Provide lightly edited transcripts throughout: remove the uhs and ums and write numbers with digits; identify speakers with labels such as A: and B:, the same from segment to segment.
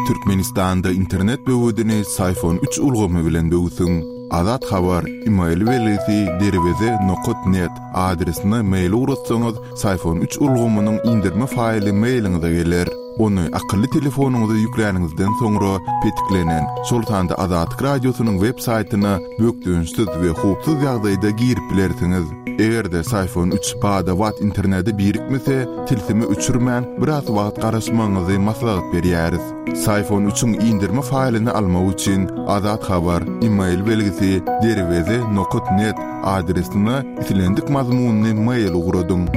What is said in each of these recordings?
A: Türkmenistanda internet böwedini Syfon üç ulgamy bilen böwsüň. Azat Habar, email belgisi derweze nokat net adresine mail ugratsaňyz, Syfon üç ulgamynyň indirme faýly mailiňize geler. Ony akylly telefonyňyza ýükläniňizden soňra petiklenen, şol sanda Azatlyk Radiosynyň web saýtyna bökdençsiz we howpsuz ýagdaýda girip bilersiňiz. Eger-de Syfon üç bada-bat internete birikmese, tilsimi öçürmän, biraz wagt garaşmagyňyzy maslahat berýäris. Syfon üçiň indirme faýlyny almak üçin Azat Habar, email belgisi, derweze nokat net adresine islendik mazmunly mail ugradyň.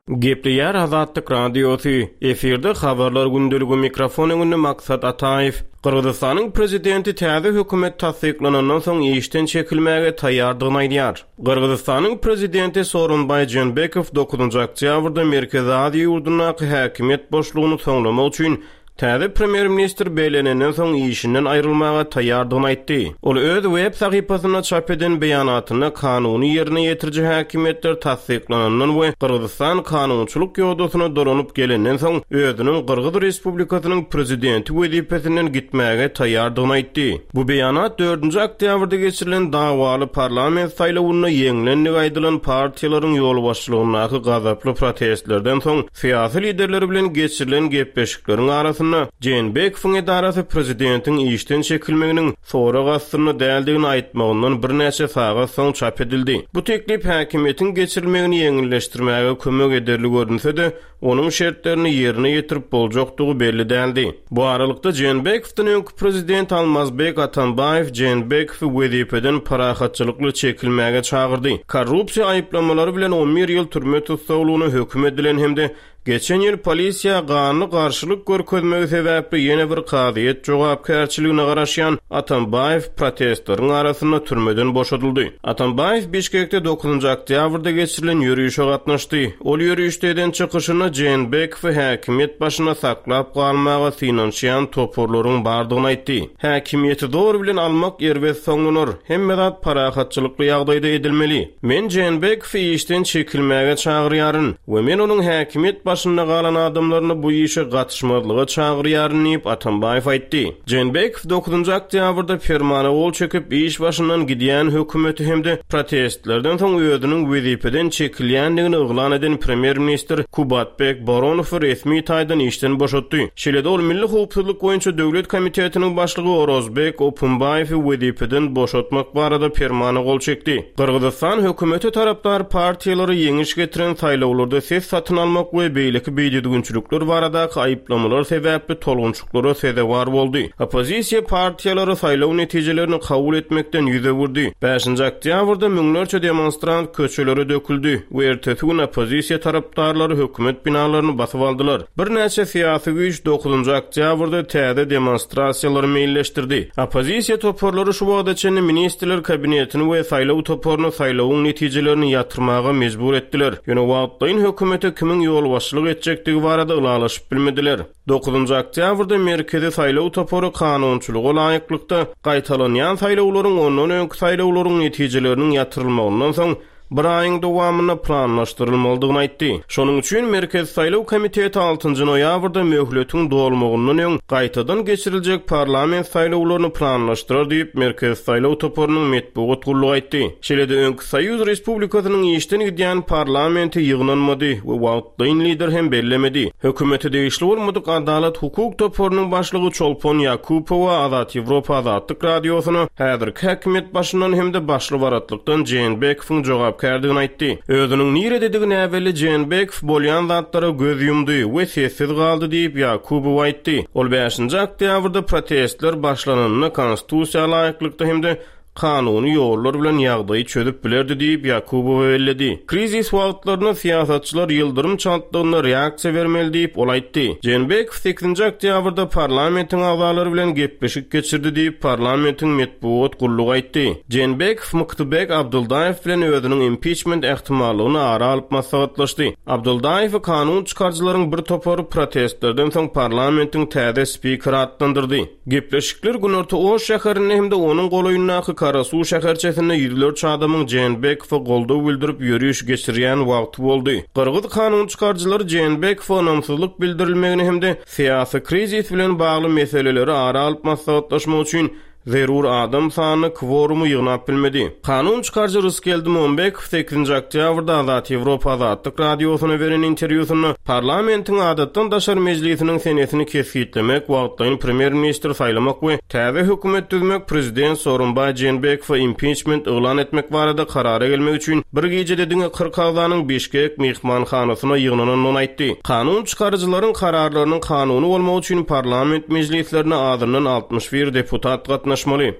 B: Gepleýär Azatlyk Radiosy, efirde Habarlar gündeligi mikrofon öňünde Maksat Ataýew. Gyrgyzystanyň prezidenti täze hökümet tassyklanandan soň işden çekilmäge taýýardygyny aýdýar. Gyrgyzystanyň prezidenti Sooronbaý Jeenbekow dokuzynjy oktýabrda Merkezi Aziýa ýurdundaky häkimiýet boşlugyny soňlamak üçin Täze premýer-ministr bellenenden soň işinden aýrylmaga taýýardygyny aýtdy. Ol öz web sahypasynda çap eden beýanatynda kanuny ýerine ýetiriji häkimiýetler tassyklanandan we Gyrgyzystan kanunçylyk ýodasyna dolanyp gelenden soň özüniň Gyrgyz Respublikasynyň prezidenti wezipesinden gitmäge taýýardygyny aýtdy. Bu beýanat dördünji oktýabrda geçirilen dawaly parlament saýlawynda ýeňlendigi aýdylan partiýalaryň ýolbaşçylygyndaky gazaply protestlerden soň Syýasy liderler bilen geçirilen gepleşikleriň arasynda Jeenbekowyň edarasy prezidentiň işden çekilmeginiň sorag astynda däldigini aýtmagyndan birnäçe sagat soň çap edildi. Bu teklip häkimiýetiň geçirilmegini ýeňilleşdirmäge kömek ederli görünse-de, onuň şertlerini ýerine ýetirip boljakdygy belli däldi. Bu aralykda, Jeenbekowdan öňki prezident Almazbek Atambaýew Jeenbekowy wezipeden parahatçylykly çekilmäge çagyrdy. Korrupsiýa aýyplamalary bilen on bir ýyl türme tussaglygyna höküm edilen hem-de geçen ýyl polisiýa ganly garşylyk görkezmegi sebäpli ýene bir kazyýet jogapkärçiligine garaşýan Atambaýew protestleriň arasynda türmeden boşadyldy. Atambaýew Bişkekde dokuzynjy oktýabrda geçirilen ýörişe gatnaşdy. Ol ýörişde eden çykyşynda Jeenbekowy häkimiýet başynda saklap galmaga synanyşýan toparlaryň bardygyny aýtdy. Häkimiýeti zor bilen almak erbet soňlanar. Hemme zat parahatçylykly ýagdaýda edilmeli. Men Jeenbekowy işden çekilmäge çagyrýaryn we men onuň häkimiýet başynda galan adamlaryny bu işe gatyşmazlyga çagyrýaryn diýip, Atambaýew aýtdy. Jeenbekow dokuzynjy oktýabrda permana gol çekip, iş başyndan gidýän hökümeti hem-de protestlerden soň özüniň wezipeden çekilýändigini yglan eden premýer-ministr Kubatbek Boronowy resmi taýdan işden boşatdy. Şeýle-de ol Milli howpsuzlyk boýunça döwlet komitetiniň başlygy Orozbek Opumbaýewi wezipeden boşatmak barada permana gol çekdi. Gyrgyzystan hökümete tarapdar partiýalara ýeňiş getiren saýlawlarda ses satyn almak we beýleki bidüzgünçilikler baradaky aýyplamalar sebäpli tolgunçyklara sezewar boldy. Oppozisiýa partiýalary saýlaw netijelerini kabul etmekden ýüz öwürdi. Bäşinji oktýabrda müňlerçe demonstrant köçelere döküldi we ertesi gün oppozisiýa tarapdarlary hökümet binalaryny basyp aldylar. Birnäçe syýasy güýç dokuzynjy oktýabrda täze demonstrasiýalary meýilleşdirdi. Oppozisiýa toparlary şu wagta çenli Ministrler Kabinetini we saýlaw toparyny saýlawyň netijelerini ýatyrmaga mejbur etdiler. Ýöne wagtlaýyn hökümete kimiň ýolbaşçylyk etjekdigi barada ylalaşyp bilmediler. Dokuzynjy oktýabrda Merkezi saýlaw topary kanunçylyga laýyklykda, gaýtalanýan saýlawlaryň ondan öňki saýlawlaryň netijeleriniň ýatyrylmagyndan soň bir aýyň dowamynda planlaşdyrylmalydygyny aýtdy. Şonuň üçin Merkezi saýlaw komiteti altynjy noýabrda möhletiň dolmagyndan öň gaýtadan geçiriljek parlament saýlawlaryny planlaşdyrar diýip, Merkezi saýlaw toparynyň metbugat gullugy aýtdy. Şeýle-de öňki Soýuz respublikasynyň işden gidýän parlamenti ýygnanmady we wagtlaýyn lider hem bellemedi. Hökümete degişli bolmadyk Adalat hukuk toparynyň başlygy Çolpon Ýakupowa Azat Ýewropa Azatlyk Radiosyna häzirki häkimiýet başyndan hem-de başly-baratlykdan Jeenbekowyň jogapkärdigini aýtdy. Özüniň nirededigi näbelli Jeenbekow bolýan zatlara göz ýumdy we sessiz galdy diýip, Ýakubowa aýtdy. Ol bäşinji oktýabrda protestler başlananda konstitusiýa laýyklykda hem-de kanuny ýollar bilen ýagdaýy çözüp bilerdi diýip, Ýakubowa belledi. Krizis wagtlarynda syýasatçylar ýyldyrym çaltlygynda reaksiýa bermeli diýip, ol aýtdy. Jeenbekow sekizinji oktýabrda parlamentiň agzalary bilen gepleşik geçirdi diýip, parlamentiň metbugat gullugy aýtdy. Jeenbekow Myktybek Abdyldaýew bilen özüniň impiçment ähtimallygyny ara alyp maslahatlaşdy. Abdyldaýewi kanun çykaryjylaryň bir topary protestlerden soň parlamentiň täze spikeri atlandyrdy. Gepleşikler Günorta Oş şäherinde hem-de onuň golaýyndaky. Kara-Suw şäherçesinde ýüzlerçe adamyň Jeenbekowa goldaw bildirip ýöriş geçirýän wagty boldy. Gyrgyz kanun çykaryjylary Jeenbekowa ynamsyzlyk bildirilmegini hem-de syýasy krizis bilen bagly meseleleri ara alyp maslahatlaşmak üçin zerur adam sanyny, kworumy ýygnap bilmedi. Kanun çykaryjy Rysgeldi Mombekow sekizinji oktýabrda Azat Ýewropa Azatlyk Radiosyna beren interwýusynda parlamentiň adatdan daşary mejlisiniň senesini kesgitlemek, wagtlaýyn premýer-ministr saýlamak we täze hökümet düzmek, prezident Sooronbaý Jeenbekowa impiçment yglan etmek barada karara gelmek üçin bir gijede diňe 40 agzanyň Bişkek myhmanhanasyna ýygnanandygyny aýtdy. Kanun çykaryjylaryň kararlarynyň kanuny bolmagy üçin parlament mejlislerine azyndan 61 deputat gatnaşmaly.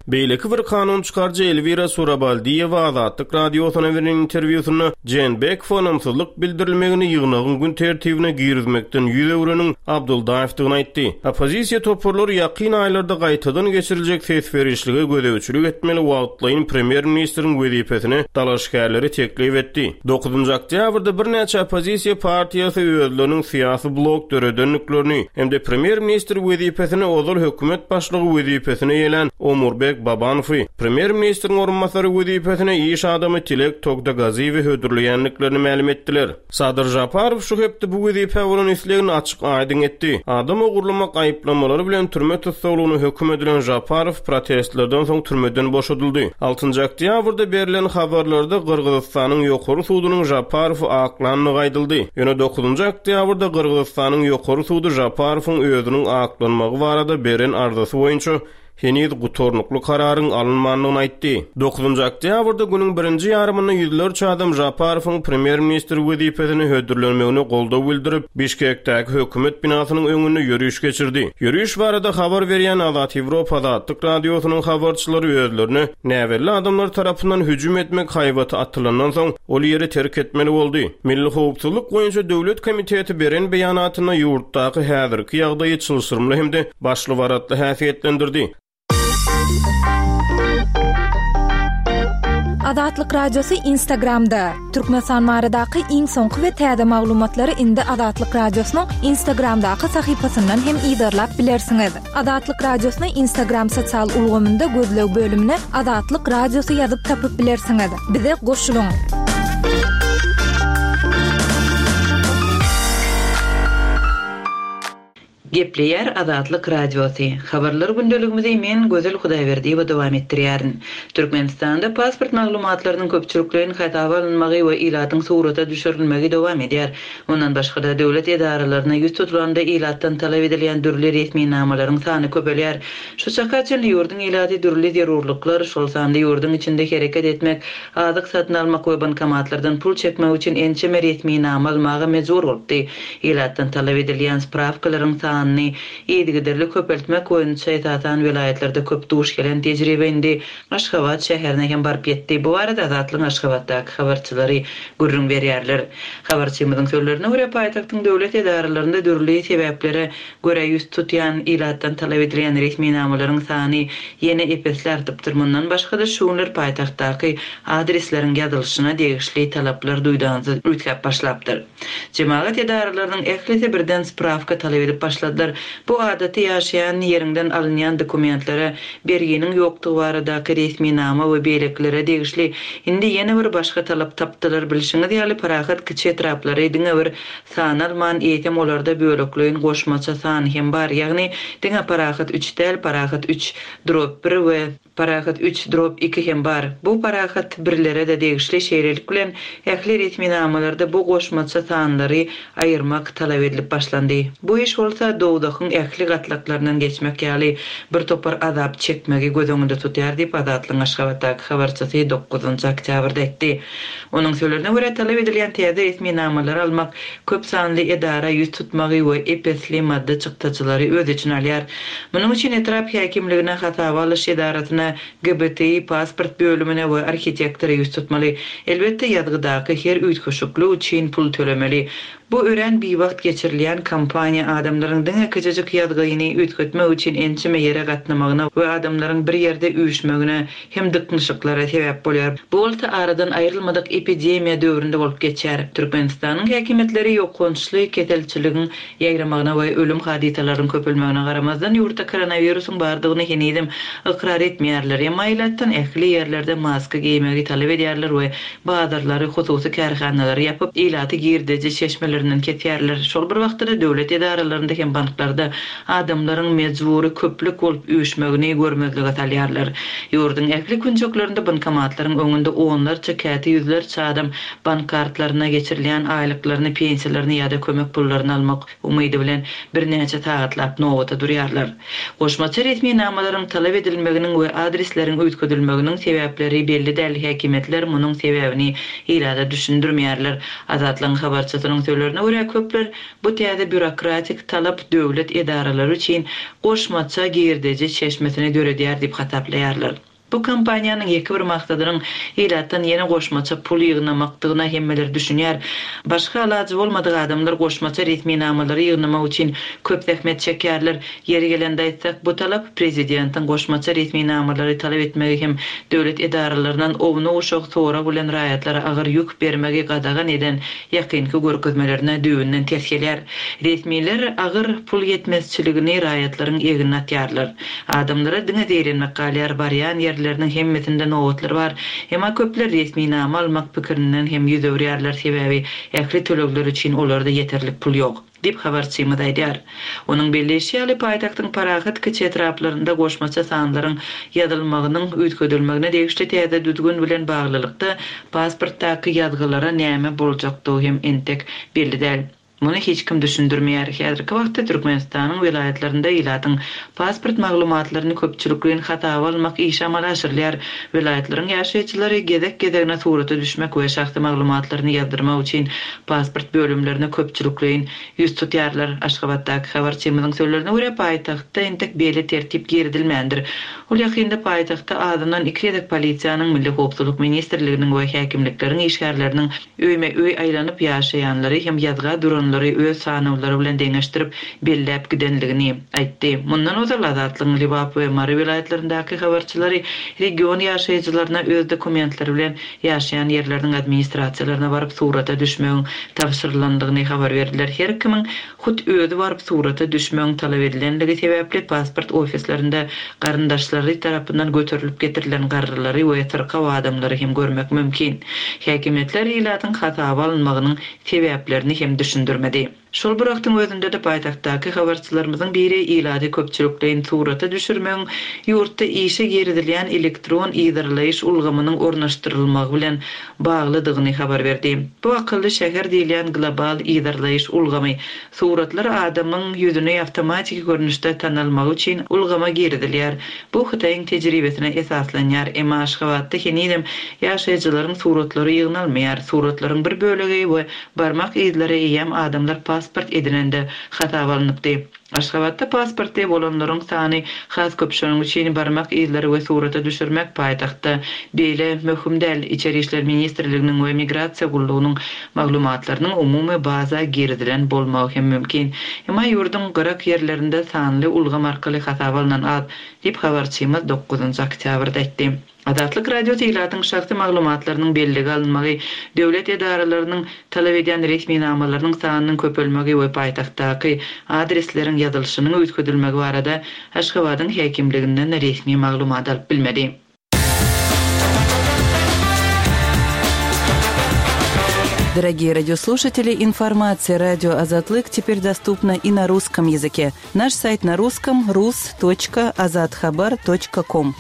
B: Beýleki bir kanun çykaryjy Elwira Surabaldiýewa Azatlyk Radiosyna beren interwýusynda Jeenbekowa ynamsyzlyk bildirilmegini ýygnagyň gün tertibine girizmekden ýüz öwreniň Abdyldaýewdigini aýtdy. Oppozisiýa toparlary ýakyn aýlarda gaýtadan geçiriljek ses berişlige gözegçilik etmeli wagtlaýyn premýer-ministriň wezipesine dalaşgärleri teklip etdi. Dokuzynjy oktýabrda birnäçe oppozisiýa partiýasy özleriniň syýasy blok döredendiklerini hem-de premýer-ministr wezipesine ozal hökümet başlygy wezipesini eýelän Omurbek Babanowy, premýer-ministriň orunbasary wezipesine iş adamy Tilek Togtagaziýewi hödürleýändiklerini mälim etdiler. Sadyr Žaparow şu hepde bu wezipä bolan islegini açyk-aýdyň etdi. Adam ogurlamak aýyplamalary bilen türme tussaglygyna höküm edilen Žaparow protestlerden soň türmeden boşadyldy. Altynjy oktýabrda berlen habarlarda Gyrgyzystanyň Ýokary sudunyň Žaparowy aklandygy aýdyldy. Ýöne dokuzynjy oktýabrda Gyrgyzystanyň Ýokary sudy Žaparowyň özüniň aklanmagy barada beren arzasy boýunça heniz gutarnykly kararyň alynmandygyny aýtdy. Dokuzynjy oktýabrda günüň birinji ýarymynda ýüzlerçe adam Žaparowyň premýer-ministr wezipesine hödürlenmegine goldaw bildirip, Bişkekdäki hökümet binasynyň öňünde ýöriş geçirdi. Ýöriş barada habar berýän Azat Ýewropa Azatlyk Radiosynyň habarçylary özlerine näbelli adamlar tarapyndan hüjüm etmek haýbaty atylandan soň, ol ýeri terk etmeli boldy. Milli howpsuzlyk boýunça döwlet komiteti beren beýanatynda ýurtdaky häzirki ýagdaýy çylşyrymly hem-de başly-baratly häsiýetlendirdi.
C: Azatlyk Radiosy Instagramda, Türkmenistan baradaky iň soňky we täze maglumatlary indi Azatlyk Radiosynyň Instagramdaky sahypasyndan hem yzarlap bilersiňiz. Azatlyk Radiosyny Instagram sosial ulgamynda gözleg bölümine Azatlyk Radiosy ýazyp tapyp bilersiňiz. Bize goşulyň!
D: Gepleýär Azatlyk Radiosy. Habarlar gündeligimizi men, Gözel Hudaýberdiýewa dowam etdirýärin. Türkmenistanda pasport maglumatlarynyň köpçülikleýin hasaba alynmagy we ilatyň surata düşürilmegi dowam edýär. Mundan başga-da, döwlet edaralaryna ýüz tutulanda ilatdan talap edilýän dürli resminamalaryň sany köpelýär. Şu çaka çenli ýurduň ilaty dürli zerurlyklar, şol sanda ýurduň içinde hereket etmek, azyk satyn almak we bankomatlardan pul çekmek üçin ençeme resminama almaga mejbur bolupdy. Ilatdan talap edilýän sprawkalaryň sanyny yzygiderli köpeltmek boýunça esasan welaýatlarda köp duş gelen tejribe indi Aşgabat şäherine hem baryp ýetdi. Bu barada Azatlygyň Aşgabatdaky habarçylary gürrüň berýärler. Habarçymyzyň sözlerine görä, paýtagtyň döwlet edaralarynda dürli sebäplere görä ýüz tutýan ilatdan talap edilýän resminamalaryň sany ýene ep-esli artypdyr. Mundan başga-da, şu günler paýtagtdaky adresleriň ýazylyşyna degişli talaplar duýdansyz üýtgäp başlapdyr. Jemagat edaralarynyň ählisi birden sprawka talap edip başladylar. Bu adaty ýaşaýan ýeriňden alynýan dokumentlere, berginiň ýokdugy baradaky resminama we beýlekilere degişli. Indi ýene bir başga talap tapdylar. Bilşiňiz ýaly, parahat kiçi etraplary diňe bir sanalman, eýsem olarda bölekleýin goşmaça san hem bar, ýagny diňe parahat üç däl, parahat üç drop bir we. Parahat üç drop iki hem bar. Bu Parahat birlere-de degişli, şeýlelik bilen, ähli resminamalarda bu goşmaça sanlary aýyrmak talap edilip başlandy. Bu iş bolsa dowzahyň ähli gatlaklaryndan geçmek ýaly bir topar azap çekmegi göz öňünde tutýar diýip, Azatlygyň Aşgabatdaky habarçysy dokuzynjy oktýabrda aýtdy. Onuň sözlerine görä, talap edilýän täze resminamalary almak köp sanly edara ýüz tutmagy we ep-esli maddy çykdajylary öz içine alýar. Munuň üçin etrap häkimligine, hasaba alyş edarasyna, GBTI pasport bölümine we arhitektora ýüz tutmaly. Elbetde, ýazgydaky her üýtgeşiklik üçin pul tölemeli. Bu örän biwagt geçirilýän kampaniýa adamlaryň diňe kiçijik ýazgyny üýtgetmek üçin ençeme ýere gatnamagyna we adamlaryň bir ýerde üýşmegine hem dyknyşyklara sebäp bolýar. Bu bolsa aradan aýrylmadyk epidemiýa döwründe bolup geçýär. Türkmenistanyň häkimiýetleri ýokançly keselçiligiň ýaýramagyna we ölüm hadysalarynyň köpelmegine garamazdan ýurtda koronawirusyň bardygyny henizem ykrar etmeýärler. Emma ilatdan ähli ýerlerde maska geýmegi talap edýärler we Bazarlary, hususy kärhanalary ýapyp, ilaty girdeji çeşmelerinden kesýärler. Şol bir wagtda-da döwlet edaralarynda hem banklarda adamlaryň mejbury köplük bolup üýşmegini görmezlige salýarlar. Ýurduň ähli künjeklerinde bankomatlaryň öňünde onlarça, käte ýüzlerçe adam bank kartlaryna geçirilýän aýlyklaryny, pensiýalaryny ýa-da kömek pullaryny almak umydy bilen birnäçe sagatlap nobata durýarlar. Goşmaça resminamalaryň talap edilmeginiň we adresleriň üýtgedilmeginiň sebäpleri belli däl, häkimiýetler munuň sebäbini ilata düşündirmeýärler. Azatlygyň habarçysynyň sözlerine görä, köpler bu täze býurokratik talap döwlet edaralary üçin goşmaça girdeji çeşmesini döredýär diýip hasaplaýarlar. Bu kampaniýanyň ýeke bir maksadynyň ilatdan ýene goşmaça pul ýygnamakdygyna hemmeler düşünýär. Başga alajy bolmadyk adamlar goşmaça resminamalary ýygnamak üçin köp zähmet çekýärler. Ýeri gelende aýtsak, bu talap prezidentiň goşmaça resminamalary talap etmegi hem döwlet edaralaryndan ownuk-uşak sorag bilen raýatlara agyr ýük bermegi gadagan eden ýakynky görkezmelerine düýbünden ters gelýär. Resmiler agyr pul ýetmezçiligini raýatlaryň egnine atýarlar. Adamlara diňe zeýrenmek galýar, barýan ýerleriniň hemmesinde nobatlar bar. Emma köpler resminama almak pikirinden hem ýüz öwürýärler, sebäbi ähli tölegler üçin olarda ýeterlik pul ýok, diýip habarçymyz aýdýar. Onuň belleýşi ýaly, paýtagtyň parahat kiçi etraplarynda goşmaça sanlaryň ýazylmagynyň üýtgedilmegine degişli täze düzgün bilen baglylykda, pasportdaky ýazgylara näme boljakdygy hem entek belli däl. Muny hiç kim düşündirmeýär. Häzirki wagtda Türkmenistanyň welaýatlarynda ilatyň pasport maglumatlaryny köpçülikleýin hasaba almak işi amala aşyrylýar. Welaýatlaryň ýaşaýjylary gezek-gezegine surata düşmek we şahsy maglumatlaryny ýazdyrmak üçin pasport bölümlerine köpçülikleýin ýüz tutýarlar. Aşgabatdaky habarçymyzyň sözlerine görä, paýtagtda entek beýle tertip girizilmändir. Ol ýakynda paýtagtda azyndan iki gezek polisiýanyň, Milli howpsuzlyk ministrliginiň we häkimlikleriň işgärleriniň Öýme-öý aýlanyp ýaşaýanlary hem ýazga duranlary öz sanawlary bilen deňeşdirip belläp gidenligini aýtdy. Mundan ozal Azatlygyň Lebap we Mary welaýatlaryndaky habarçylary region ýaşaýjylaryna öz dokumentleri bilen ýaşaýan ýerleriniň administrasiýalaryna baryp surata düşmegiň tabşyrylandygyny habar berdiler. Her kimiň Hut özi baryp surata düşmegiň talap edilenligi sebäpli pasport ofislerinde garyndaşlary tarapyndan göterilip getirilen garrylary we syrkaw adamlary hem görmek mümkin. Häkimiýetler ilatyň hasaba alynmagynyň sebäplerini hem düşündirmedi. Şol bir wagtyň özünde-de paýtagtdaky habarçylarymyzyň biri ilaty köpçülikleýin surata düşürmegiň ýurtda işe girizilýän elektron yzarlaýyş ulgamynyň ornaşdyrylmagy bilen baglydygyny habar berdi. Bu akylly şäher diýilýän global yzarlaýyş ulgamy, suratlar adamyň ýüzüni awtomatiki görnüşde tanalmagy üçin ulgama girizilýär. Bu Hytaýyň tejribesine esaslanýar. Emma Aşgabatda henizem ýaşaýjylaryň suratlary ýygnalmaýar. Suratlaryň bir bölegi we barmak yzlary eýýäm adamlar pasport edinende hasaba alnypdy. Aşgabatda pasportly bolanlaryň sany has köp şonuň üçin barmak yzlary we surata düşürmek paýtagtda beýle möhüm däl. Içeri işler ministrliginiň we migrasiýa gullugynyň maglumatlarynyň umumy baza girizilen bolmagy hem mümkin. Emma ýurduň gyrak ýerlerinde sanly ulgam arkaly hasaba alnan az, diýip habarçymyz dokuzynjy oktýabrda aýtdy. Azatlyk Radiosy ilatyň şahsy maglumatlarynyň bellige alynmagy, döwlet edaralarynyň talap edýän resminamalarynyň sanynyň köpelmegi we paýtagtdaky adresleriň ýazylyşynyň üýtgedilmegi barada Aşgabadyň häkimliginden resmi maglumat alyp bilmedi.
E: Дорогие радиослушатели, информация радио Азатлык теперь доступна и на русском языке. Наш сайт на русском rus.azathabar.com.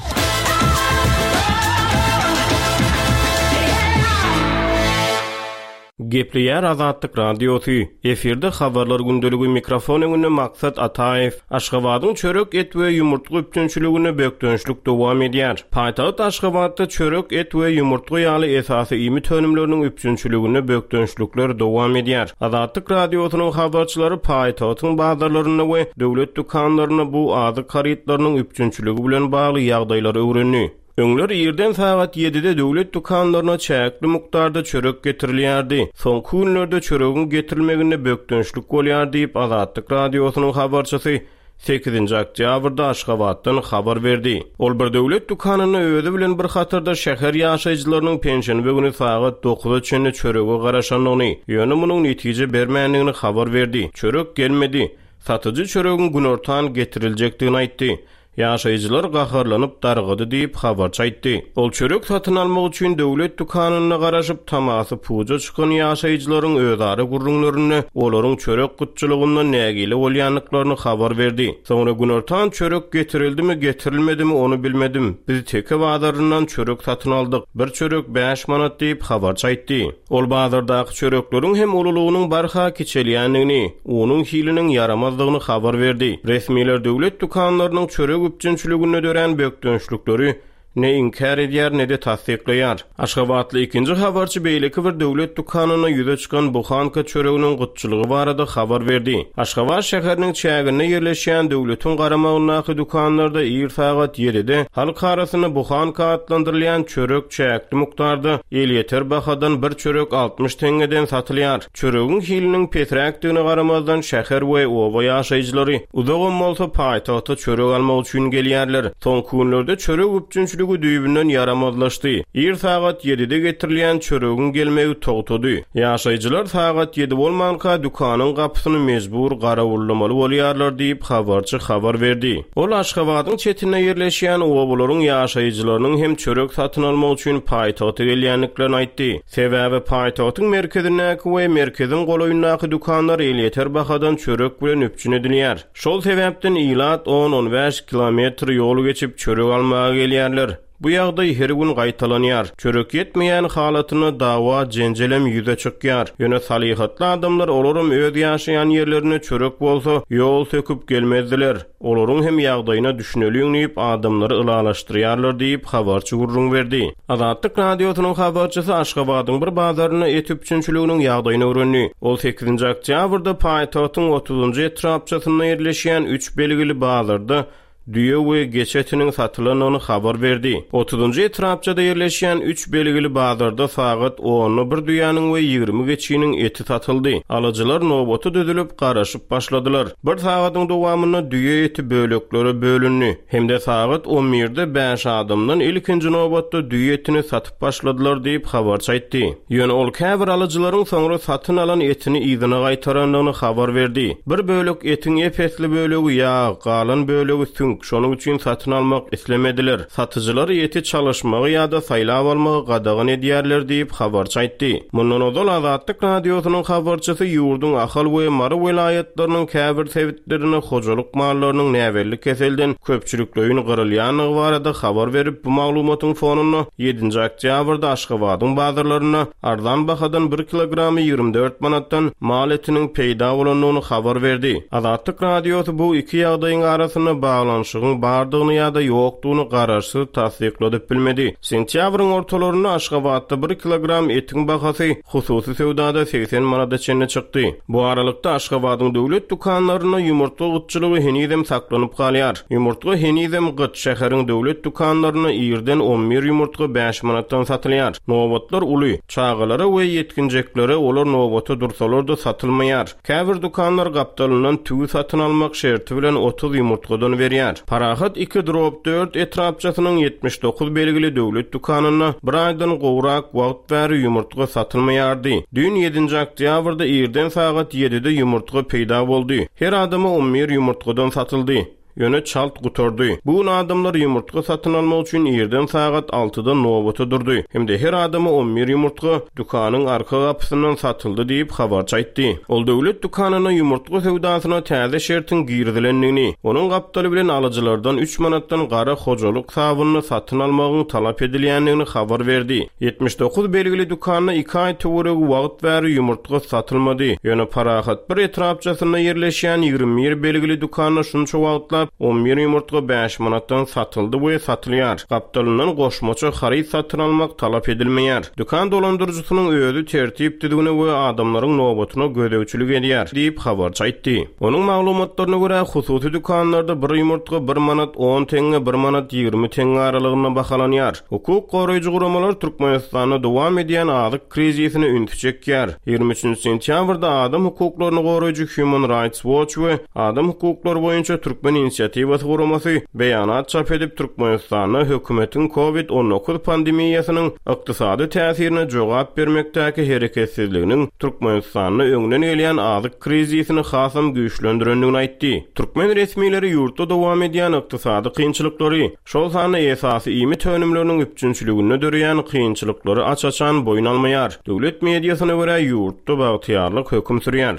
B: Gepleýär Azatlyk Radiosy, efirde Habarlar gündeligi mikrofon öňünde Maksat Ataýew. Aşgabadyň çörek, et we ýumurtga üpjünçiliginde bökdençlik dowam edýär. Paýtagt Aşgabatda çörek, et we ýumurtga ýaly esasy iýmit önümleriniň üpjünçiliginde bökdençlikler dowam edýär. Azatlyk Radiosynyň habarçylary paýtagtyň bazarlarynda we döwlet dükanlarynda bu azyk harytlarynyň üpjünçiligi bilen bagly ýagdaýlary öwrendi. Öňler irden sagat ýedide döwlet dükanlaryna çäkli mukdarda çörek getirilýärdi. Soňky günlerde çöregiň getirilmeginde bökdençlik bolýar diýip, Azatlyk Radiosynyň habarçysy sekizinji oktýabrda Aşgabatdan habar berdi. Ol bir döwlet dükanynda özi bilen bir hatarda şäher ýaşaýjylarynyň penşenbe güni sagat dokuza çenli çörege garaşandygyny, ýöne munuň netije bermändigini habar berdi. Çörek gelmedi. Satyjy çöregiň günortan getiriljekdigini aýtdy. Ýaşaýjylar gaharlanyp dargady diýip, habarçy aýtdy. Ol çörek satyn almak üçin döwlet dükanynda garaşyp, tamasy puja çykan ýaşaýjylaryň özara gürrüňlerinde olaryň çörek gytçylygyndan nägile bolýandyklaryny habar berdi. Soňra günortan çörek getirildimi, getirilmedimi, ony bilmedim. Biz Teke bazaryndan çörek satyn aldyk. Bir çörek bäş manat diýip, habarçy aýtdy. Ol bazardaky çörekleriň hem ululygynyň barha kiçelýändigini, unuň hiliniň ýaramazdygyny habar berdi. Resmiler döwlet dükanlarynyň çörek üpjünçiliginde dörän bökdençlikleri ne inkär edýär, ne-de tassyklaýar. Aşgabatly ikinji habarçy beýleki bir döwlet dükanynda ýüze çykan buhanka çöreginiň gytçylygy barada habar berdi. Aşgabat şäheriniň çäginde ýerleşýän döwletiň garamagyndaky dükanlarda ir sagat ýedide halk arasynda buhanka atlandyrylýan çörek çäkli mukdarda elýeter bahadan bir çörek 60 teňňeden satylýar. Çöregiň hiliniň pesräkdigine garamazdan, şäher we oba ýaşaýjylary uzagam bolsa paýtagta çörek almak üçin gelýärler. Soňky günlerde çörek üpjünçiligi düýbünden ýaramazlaşdy. Ir sagat ýedide getirilýän çöregiň gelmegi togtady. Ýaşaýjylar sagat ýedi bolmanka dükanyň gapysyny mejbur garawullamaly bolýarlar diýip, habarçy habar berdi. Ol Aşgabadyň çetinde ýerleşýän obalaryň ýaşaýjylarynyň hem çörek satyn almak üçin paýtagta gelýändiklerini aýtdy. Sebäbi paýtagtyň merkezindäki we merkeziň golaýyndaky dükanlar elýeter bahadan çörek bilen üpjün edilýär. Şol sebäpden ilat on-on bäş kilometr ýol geçip çörek almaga gelýärler. Bu ýagdaý her gün gaýtalanýar. Çörek ýetmeýän halatynda dawa-jenjelem ýüze çykýar. Ýöne salyhatly adamlar olaram öz ýaşaýan ýerlerinde çörek bolsa, ýol söküp gelmezdiler. Olaryň hem ýagdaýyna düşüneliň diýip, adamlary ylalaşdyrýarlar diýip, habarçy gürrüň berdi. Azatlyk Radiosynyň habarçysy Aşgabadyň bir bazarynda et üpjünçiliginiň ýagdaýyny öwrendi. Ol sekizinji oktýabrda paýtagtyň otuzynjy etrapçasynda ýerleşýän üç belgili bazarda düýe we geçi etiniň satylandygyny habar berdi. Otuzynjy etrapçada ýerleşýän üç belgili bazarda sagat onda bir düýäniň we 20 geçiniň eti satyldy. Alyjylar nobata düzülip, garaşyp başladylar. Bir sagadyň dowamynda düýe eti böleklere bölündi hem-de sagat on birde bäş adamdan ilkinji nobatda düýe etini satyp başladylar diýip, habarçy aýtdy. Ýöne ol käbir alyjylaryň soňra satyn alan etini yzyna gaýtarandygyny habar berdi. Bir bölek etiň ep-esli bölegi ýag, galan bölegi süňk, şonuň üçin satyn almak islemediler. Satyjylar eti çalyşmagy ýa-da saýlap almagy gadagan edýärler diýip, habarçy aýtdy. Mundan ozal Azatlyk Radiosynyň habarçysy ýurduň Ahal we Mary welaýatlarynyň käbir sebitlerinde hojalyk mallarynyň näbelli keselden köpçülikleýin gyrylýandygy barada habar berip, bu maglumatyň fonunda ýedinji oktýabrda Aşgabadyň bazarlarynda arzan bahadan bir kilogramy 24 manatdan mal etiniň peýda bolandygyny habar berdi. Azatlyk Radiosy bu iki ýagdaýyň arasynda baglanyşygyň bardygyny ýa-da ýokdugyny garaşsyz tassykladyp bilmedi. Sentýabryň ortalarynda Aşgabatda bir kilogram etiň bahasy hususy söwdada 80 manada çenli çykdy. Bu aralykda, Aşgabadyň döwlet dükanlarynda ýumurtga gytçylygy henizem saklanyp galýar. Ýumurtga henizem gyt, şäheriň döwlet dükanlarynda irden on bir ýumurtga bäş manatdan satylýar. Nobatlar uly. Çagalara we ýetginjeklere olar nobata dursalar-da satylmaýar. Käbir dükanlar gapdalyndan tüwi satyn almak şerti bilen 30 ýumurtgadan berýär. Parahat iki drob dört etrapçasynyň 79 belgili döwlet dükanynda bir aýdan gowrak wagt bäri ýumurtga satylmaýardy. Düýn ýedinji oktýabrda irden sagat ýedide ýumurtga peýda boldy. Her adama on bir ýumurtgadan satyldy. Ýöne çalt gutardy. Bu gün adamlar ýumurtga satyn almak üçin irden sagat altyda nobata durdy hem-de her adama on bir ýumurtga dükanyň arka gapysyndan satyldy diýip, habarçy aýtdy. Ol döwlet dükanynda ýumurtga söwdasyna täze şertiň girizilendigini, onuň gapdaly bilen alyjylardan üç manatdan gara hojalyk sabynyny satyn almagyň talap edilýändigini habar berdi. 79 belgili dükanda iki aý töweregi wagt bäri ýumurtga satylmady. Ýöne Parahat bir etrapçasynda ýerleşýän 21 belgili dükanda şunça wagtlap. başlap, on bir ýumurtga bäş manatdan satyldy we satylýar. Gapdalyndan goşmaça haryt satyn almak talap edilmeýär. Dükan dolandyryjysynyň özi tertip-düzgüne we adamlaryň nobatyna gözegçilik edýär, diýip, habarçy aýtdy. Onuň maglumatlaryna görä, hususy dükanlarda bir ýumurtga bir manat on teňňe, bir manat 20 teňňe aralygynda bahalanýar. Hukuk goraýjy guramalar Türkmenistanda dowam edýän azyk krizisine ünsi çekýär. 23 sentýabrda adam hukuklaryny goraýjy Human Rights Watch we Adam hukuklary boýunça Türkmen inisiatiwasy guramasy beýanat çap edip, Türkmenistanda hökümetiň Covid 19 pandemiýasynyň ykdysady täsirine jogap bermekdäki hereketsizliginiň Türkmenistanda öňden gelýän azyk krizisini hasam güýçlendirendigini aýtdy. Türkmen resmileri ýurtda dowam edýän ykdysady kynçylyklary, şol sanda esasy iýmit önümleriniň üpjünçiliginde döreýän kynçylyklary aç-açan boýun almaýar. Döwlet mediasyna görä, ýurtda bagtyýarlyk höküm sürýär.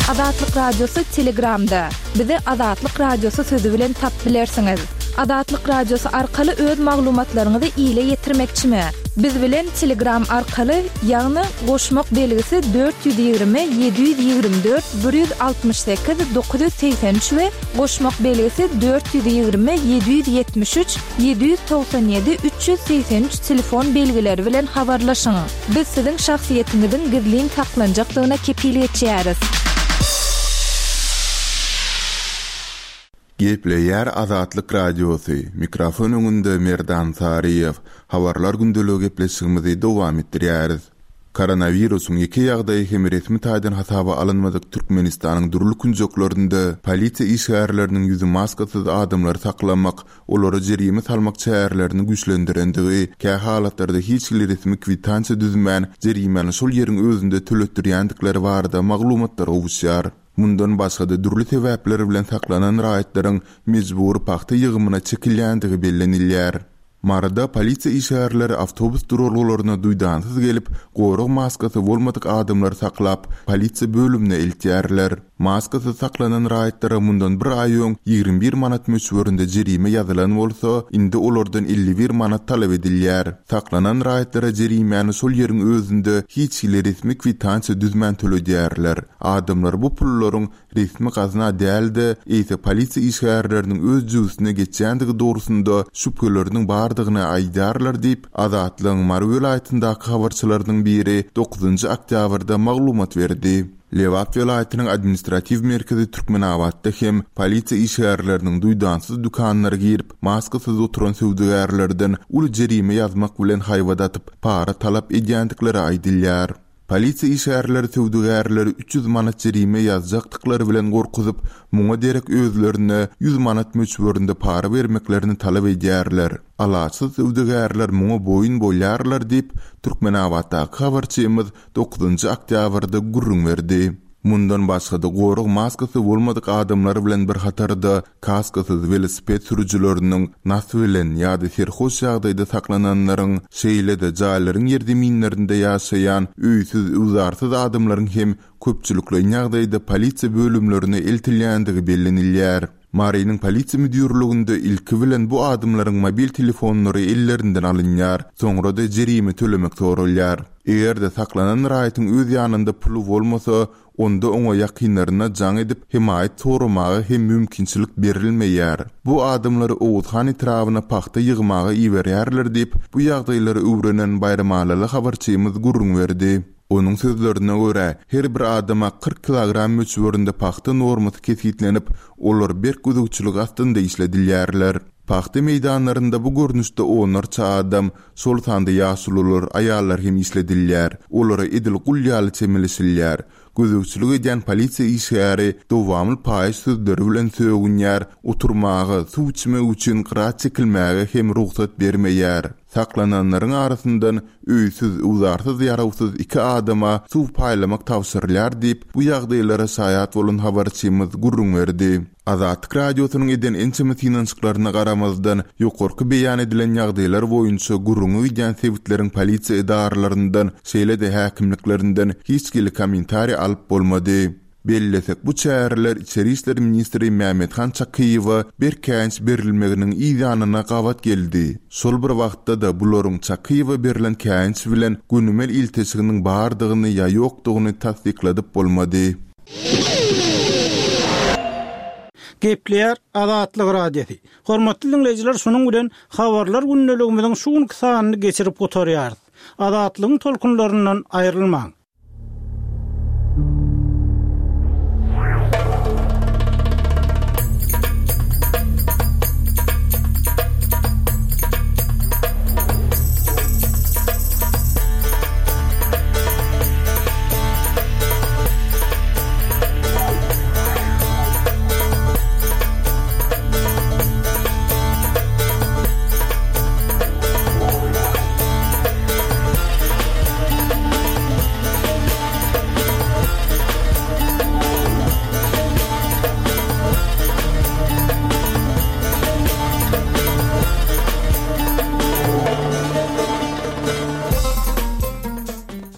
C: Azatlyk Radiosy Telegramda. Bizi Azatlyk Radiosy sözi bilen tap bilersiňiz. Azatlyk Radiosy arkaly öz maglumatlaryňyzy ile ýetirmekçimi? Biz bilen Telegram arkaly, ýagny goşmak belgisi 420 724 168 983 we goşmak belgisi 420 773 797 383 telefon belgileri bilen habarlaşyň. Biz siziň şahsyýetiňiziň gizlin saklanjakdygyna kepil geçýäris.
A: Gepleýär Azatlyk Radiosy, mikrofon öňünde Merdan Saryýew. Habarlar gündeligi gepleşigimizi dowam etdirýäris. Koronawirusyň ýeke ýagdaýy hem resmi taýdan hasaba alynmadyk Türkmenistanyň dürli künjeklerinde polisiýa işgärleriniň ýüzi maskasyz adamlary saklamak, olara jerime salmak çärelerini güýçlendirendigi, kähalatlarda hiç hili resmi kwitansiýa düzmän, jerimäni şol ýeriň özünde töletdirýändikleri barada maglumatlar gowuşýar. Mundan başga-da dürli sebäpler bilen saklanan raýatlaryň mejbury pagta ýygymyna çekilýändigi bellenilýär. Maryda polisiýa işgärleri awtobus duralgalaryna duýdansyz gelip, gorag maskasy bolmadyk adamlary saklap, polisiýa bölümine eltýärler. Maskasyz saklanan raýatlara mundan bir aý öň 21 manat möçberinde jerime ýazylan bolsa, indi olardan 51 manat talap edilýär. Saklanan raýatlara jerimäni şol ýeriň özünde hiç hili resmi kwitansiýa düzmän töledýärler. Adamlar bu pullaryň resmi gazna däl-de, eýse polisiýa işgärleriniň öz jübüsine geçýändigi dogrusynda şübheleriniň bardygyny aýdýarlar diýip, Azatlygyň Mary welaýatyndaky habarçylarynyň biri dokuzynjy oktýabrda maglumat berdi. Lebap welaýatynyň administratiw merkezi Türkmenabatda hem polisiýa işgärleriniň duýdansyz dükanlara girip, maskasyz oturan söwdagärlerden uly jerime ýazmak bilen haýbat atyp, para talap edýändikleri aýdylýar. Polisiýa işgärleri söwdagärleri 300 manat jerime ýazjakdyklary bilen gorkuzyp, muňa derek özlerine 100 manat möçberinde para bermeklerini talap edýärler. Alaçsyz söwdagärler muňa boýun bolýarlar diýip, Türkmenabatdaky habarçymyz dokuzynjy oktýabrda gürrüň berdi. Mundan başga-da, gorag maskasy bolmadyk adamlar bilen bir hatarda kaskasyz welosiped sürüjileriniň, nas bilen ýa-da serhoş ýagdaýda saklananlaryň, şeýle-de jaýlaryň ýerzeminlerinde ýaşaýan öýsüz-öwzarsyz adamlaryň hem köpçülikleýin ýagdaýda polisiýa bölümlerine eltilýändigi bellenilýär. Marynyň polisiýa müdirliginde ilki bilen bu adamlaryň mobil telefonlary ellerinden alynýar, soňra-da jerime tölemek soralýar. Eger-de saklanan raýatyň öz ýanynda puly bolmasa, onda oňa ýakynlaryna jaň edip, hemaýat soramaga hem mümkinçilik berilmeýär. Bu adamlary Oguzhan etrabyna pagta ýygmaga iberýärler diýip, bu ýagdaýlary öwrenen baýramalyly habarçymyz gürrüň berdi. Onuň sözlerine görä, her bir adama 40 kilogram möçberinde pagta normasy kesgitlenip, olar berk gözegçilik astynda işledilýärler. Pagta meýdanlarynda bu görnüşde onlarça adam, şol sanda ýaşulular, aýallar hem işledilýär. Olara edil gul ýaly çemeleşilýär. Gözegçilik edýän polisiýa işgäri dowamly paýyş sözleri bilen sögünýär, oturmaga, suw içmek üçin gyra çekilmäge hem rugsat bermeýär. Saklananlaryň arasyndan öýsüz, öwzarsyz, ýarawsyz iki adama suw paýlamak tabşyrylýar diýip, bu ýagdaýlara şaýat bolan habarçymyz gürrüň berdi. Azatlyk Radiosynyň eden ençeme synanyşyklaryna garamazdan, ýokarky beýan edilen ýagdaýlar boýunça gürrüňi gidýän sebitleriň polisiýa edaralaryndan, şeýle-de häkimliklerinden hiç hili kommentariý alyp bolmady. Bellesek, bu çäreler içeri işler ministri Mämmethan Çakyýewe berk käýinç berilmeginiň yz ýanyna gabat geldi. Şol bir wagtda-da, bularyň Çakyýewe berlen käýinç bilen gönümel ilteşiginiň bardygyny ýa ýokdugyny tassykladyp bolmady.
F: Gepleýär Azatlyk Radiosy. Hormatly diňleýjiler şunuň bilen Habarlar gündeligimiziň şu günki sanyny geçirip gutarýarys. Azatlygyň tolkunlaryndan aýrylmaň.